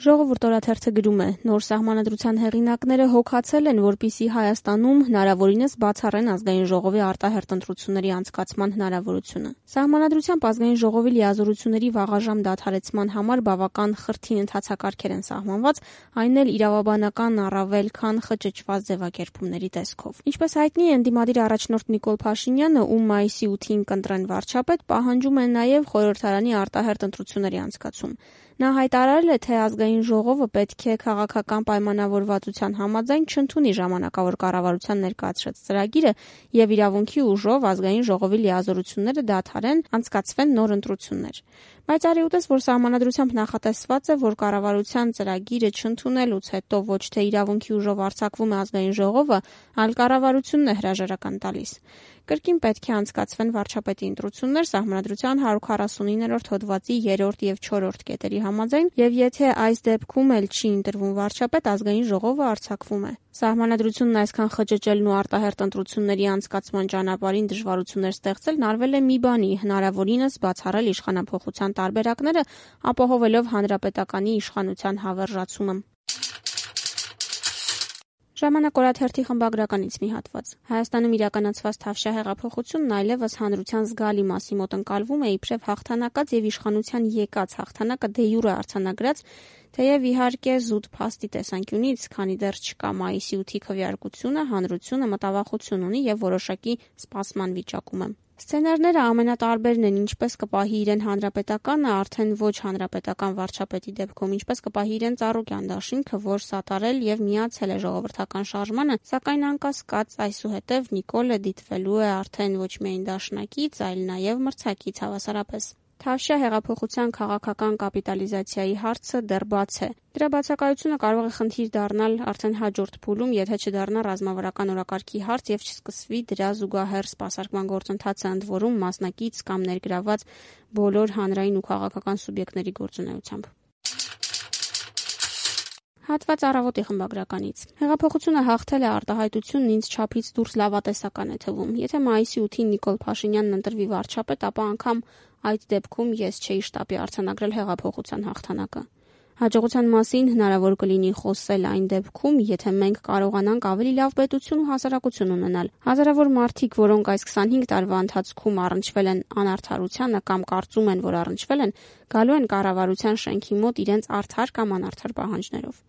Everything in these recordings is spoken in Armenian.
Ժողովուրդ օրաթերթը գրում է. նոր սահմանադրության հեղինակները հոգացել են, որպեսզի Հայաստանում հնարավորինս բացառեն ազգային ժողովի արտահերթ ընտրությունների անցկացման հնարավորությունը։ Սահմանադրությամբ ազգային ժողովի լիազորությունների վաղաժամ դադարեցման համար բավական խրթին ընթացակարգեր են սահմանված, այն էլ իրավաբանական առավել քան խճճված ձևակերպումների տեսքով։ Ինչպես հայտնի է, ընդդիմադիր առաջնորդ Նիկոլ Փաշինյանը, ում մայիսի 8-ին կընտրեն վարչապետ, պահանջում է նաև խորհրդարանի արտահերթ ընտրությունների անցկացում։ Նա հայտարարել է, թե ազգային ժողովը պետք է քաղաքական պայմանավորվածության համաձայն չընդունի ժամանակավոր կառավարության ներկայացրած ծրագիրը եւ իրավունքի ուժով ազգային ժողովի լիազորությունները դադարեն, անցկացվեն նոր ընտրություններ։ Բայց արի ուտես, որ սահմանադրությամբ նախատեսված է, որ կառավարության ծրագիրը չընդունելուց հետո ոչ թե իրավունքի ուժով արձակվում է ազգային ժողովը, այլ կառավարությունն է հրաժարական տալիս։ Կրկին պետք է անցկացվեն վարչապետի ընտրություններ սահմանադրության 149-րդ հոդվածի 3-րդ եւ 4-րդ կետերի համաձայն, եւ եթե այս դեպքում էլ չի ընտրվում վարչապետ, ազգային ժողովը արձակվում է։ Սահմանադրությունն այսքան խճճելն ու արտահերթ ընտրությունների անցկացման ճանապարհին դժվարություններ ստեղծելն արվել է մի բանի՝ հնարավորինս բացառել իշխանափոխության տարբերակները, ապահովելով հանրապետականի իշխանության հավերժացումը։ Ժամանակ օրաթերթի խմբագրականից մի հատված։ Հայաստանում իրականացված Թավշյա հեղափոխությունն այլևս հանրության զգալի մասի մոտ ընկալվում է իբրև հաղթանակած եւ իշխանության եկած հաղթանակը դե յուրե արձանագրած, թեև իհարկե զուտ փաստի տեսանկյունից, քանի դեռ չկա մայիսի 8-ի քվեարկությունը, հանրությունը մտավախություն ունի եւ որոշակի սպասման վիճակում է։ Սցենարները ամենատարբերն են, ինչպես կպահի իրեն հանրապետականը, արդեն ոչ հանրապետական վարչապետի դեպքում, ինչպես կպահի իրեն Ծառուկյան դաշինքը, որ սատարել եւ միացել է ժողովրդական շարժմանը, սակայն անկասկած այսուհետև Նիկոլը դիտվելու է արդեն ոչ միայն դաշնակից, այլ նաեւ մրցակից հավասարապես։ Թավշյա հեղափոխության քաղաքական կապիտալիզացիայի հարցը դեռ բաց է։ Դրա բացակայությունը կարող է խնդիր դառնալ արդեն հաջորդ փուլում, եթե չդառնա ռազմավարական օրակարգի հարց եւ չսկսվի դրա զուգահեռ սպասարկման գործընթացը, ընդ որում մասնակից կամ ներգրաված բոլոր հանրային ու քաղաքական սուբյեկտների գործունեությամբ։ Հատված Առավոտի խմբագրականից։ Հեղափոխությունը հաղթել է արտահայտությունն ինձ չափից դուրս լավատեսական է թվում։ Եթե մայիսի 8-ին Նիկոլ Փաշինյանն ընտրվի վարչապետ, ապա անգամ այդ դեպքում ես չէի շտապի արձանագրել հեղափոխության հաղթանակը։ Հաջողության մասին հնարավոր կլինի խոսել այն դեպքում, եթե մենք կարողանանք ավելի լավ պետություն ու հասարակություն ունենալ։ Հազարավոր մարդիկ, որոնք այս 25 տարվա ընթացքում առնչվել են անարդարությանը կամ կարծում են, որ առնչվել են, գալու են կառավարության շենքի մոտ իրենց արդար կամ անարդար պահանջներով։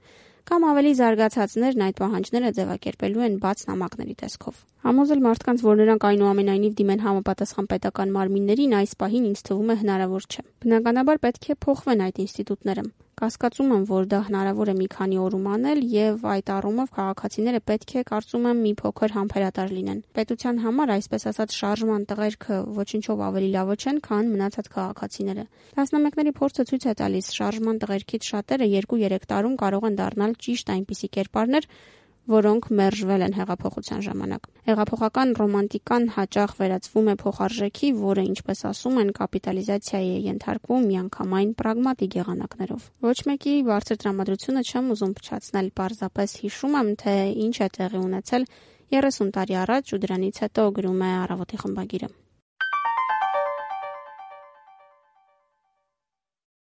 Կամ ավելի զարգացածներն այդ պահանջները ձևակերպելու են բաց նամակների տեսքով։ Համոզել մարդկանց, որ նրանք այնուամենայնիվ դիմեն համապատասխան պետական մարմիններին, այս պահին ինձ թվում է հնարավոր չէ։ Բնականաբար պետք է փոխվեն այդ ինստիտուտները։ Կասկածում եմ, որ դա հնարավոր է մի քանի օրում անել եւ այդ առումով քաղաքացիները պետք է, կարծում եմ, մի փոքր համբերատար լինեն։ Պետության համար, այսպես ասած, շարժման տղերքը ոչինչով ավելի լավը չեն, քան մնացած քաղաքացիները։ Տասնամյակների փորձը ցույց է տալիս, շարժման տղերքից շատերը 2-3 տարում կարող են դառնալ ճիշտ այնպիսի կերպարներ, որոնք մերժվել են հեղափոխության ժամանակ։ Հեղափոխական ռոմանտիկան հաճախ վերածվում է փոխարժեքի, որը, ինչպես ասում են, կապիտալիզացիայի է ենթարկվում միանգամայն պրագմատիկ եղանակներով։ Ոչ մեկի բարձր տրամադրությունը չեմ ուզում փչացնել, պարզապես հիշում եմ, թե ինչ է տեղի ունեցել 30 տարի առաջ ու դրանից հետո, գրում է Առավոտի խմբագիրը։